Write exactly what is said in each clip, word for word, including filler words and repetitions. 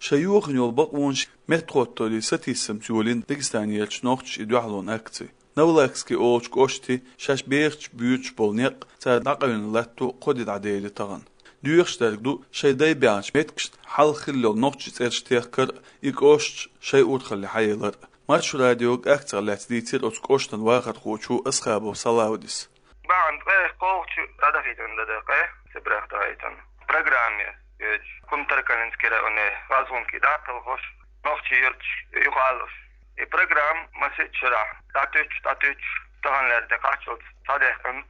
Шайн йохийна йолу бакъонаш меттахӀотторийн сатийсамца йолийна Дагестанерчу нохчаша и дуьхьалонан акци. Новолакский олучу кӀоште шаьш бехачу буьйцуш болу некъ цара дӀакъевлина латто кхо де дӀадели тахана. Доьхуш дерг ду шайн дай баьхначу меттигашна хьалха хилла йолу нохчийн цӀераш техкар а, и кӀошташ шайн урхалле хьаялар а. Маршо радиога акцих лаьцна дийцира оцу кӀоштан вахархочо Асхабов Салавдис. Бахьана ткъе кхоалгӀачу дӀадахийтина дан дан ткъе, сибрех дахийтина. Программе йоьдуш, Кумтаркалинский районе гӀазгӀумкий дӀа а талхош, нохчийн юьрташ юхалуш. И программа масех шарахь дӀатуьйцуш, дӀатуьйцуш, таханлера тӀекхаччалц схьадаьккхина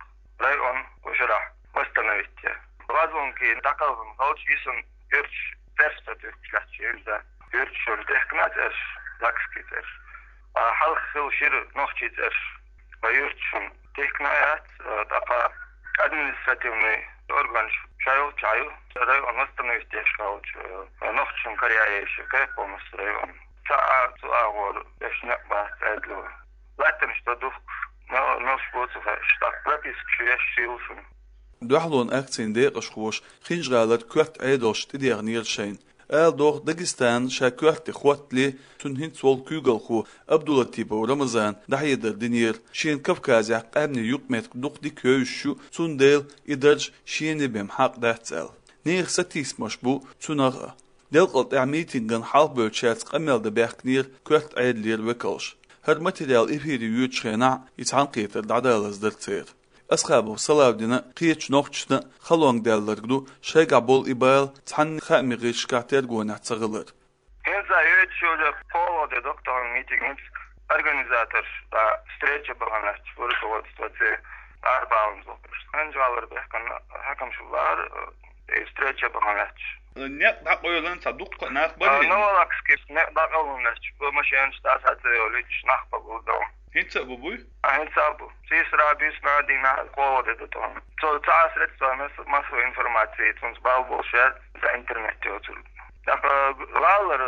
район кху шарахь восстановить. ГӀазгӀумкий дӀакхалхина хилча, йисина юьрташ цӀераш ца туьйхкуш лаьтташ, хӀинца юьрташна техкина цӀераш, даккхийский цӀераш. А хьалха хилла шира нохчийн цӀераш, ткъа юьрташна техкина яц, а, тӀаккха административный органаш шайолчу а ю, район восстановить деш хилча, а, нохчашна караяйша кхайкхамас район. Цхьа а цу агӀор деш некъ бац Ӏедало. Латтанаш дан духкуш, мел-, мелш бу ца хаьаш, тӀаккха пропискаш еш шийлушна. Дуьхьалонан акцин декъашхоша Хинжа-ГӀалара коьрта Ӏедалш тӀедехнера шайна. Ала догӀу, Дагестан ша коьрте хӀоттале, цуьнан хӀинца волу куьйгалхо Абдулатипов Рамазана дӀахьедар динера, шена Кавказехь къаьмнийн юкъаметтиг дукха дика евзаш ю, цундела и дарж шена бен хьакъ дац аьлла. Нехан сатийсамаш бу цунах а. Делкъал тӀехь митингана хьалхабевллачаьрца къамел дан баьхкинера коьрта Ӏедалера векалш. ХӀара материал эфире йоьдучу хенахь и цхьаьнакхетар дӀадалаза дара церан. Асхабов Салавдина кхечу нохчашна халонга даьлларг ду шайгахь болу и бала цхьанна хаамийн гӀирсашкахь тергонехь ца хилар. ХӀинца йоьдуш йолу кхоалгӀа де ду-кх тахана митинг, хӀинца организаторш, а, встреча бахана лаьтташ, руководство церан арабаьхна зулпаш. Хинжа-ГӀалара баьхкина хьаькамаш лаьара, э, и встреча бахана лаьтташ. Некъ дӀакъевлина цхьа дуккха а нах бара? А, Новолакский некъ дӀакъевлина лаьтташ, бу машенаш дӀа схьа ца йолуьйтуш нах бу гур дан. ХӀинца а бу буй? А, хӀинца а бу. Сийсара, буьйсанна, дийнахь кхоалгӀа де ду тахана. Цо цхьа а средства масс-, массовой информации, цунца бала болуш яц, цхьа интернет йоцург. ТӀаккха гӀалара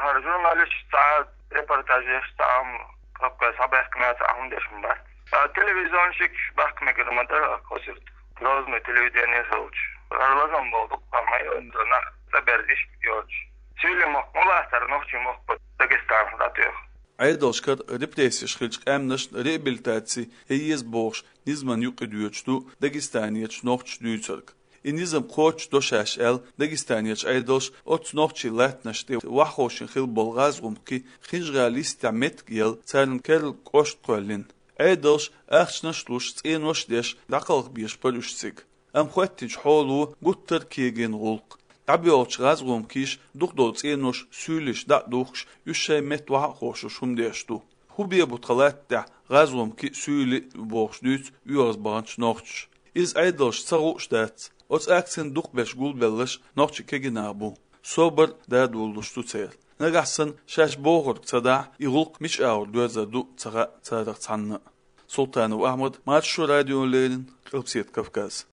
хӀара журналисташ цхьа а репортаж еш, цхьа а хӀума Кавказ схьабаьхкина, цхьа а хӀума деш ма бац. А телевизионщикаш бахка мегар ма дара кхо сурт. Грозный телевидение хилча. ХӀара лазам болу дуккха ма йоцу, нах цӀа берзиш йоцуш. Суьйлийн мохк ма лаьттара, нохчийн мохк бу Дагестанах дӀатоьху. Ӏедалшкара репрессеш хиллачу къаьмнашна реабилитаци ян еза бохуш низаман юкъа доьдуш ду Дагестанерчу нохчаша дуьйцург. И низам кхочушдо шаьш аьлла, Дагестанерчу Ӏедалша оццу нохчийн латтанаш тӀе ваххошна хилла болу гӀазгӀумкий Хинжа-ГӀала йистехь меттиг елла, царна керла кӀошт кхоьллина. Ӏедалша ахчанаш а луш, цӀенош а деш, дӀакхалхабеш бара уьш цига. Амма хӀоьттинчу хьоло гуттар а кегийна гӀуллакх. ДӀабоьлхучу гӀазгӀумкиша дукхахдолу цӀенош суьйлиша дӀа а духкуш, уьш шайн метта вахьа а ховшуш хӀума деш ду. ХӀун бен бу тхан латта тӀехь гӀазгӀумкий а, суьйли а бохуш дуьйцу оьгӀаз баханчу нохчаша. Иза Ӏедалшна ца хууш дац. Оцу акцина дукхахберш гулбелларш нохчийн кегий нах бу. Собар а дадолалуш ду церан. Нагахь санна шаьш бохург ца дахь, и гӀуллакх мича агӀор доьрзур ду ца хаьа царах цхьанна а. Султанов Ахьмад, Маршо радиона леррина, Къилбаседа Кавказ.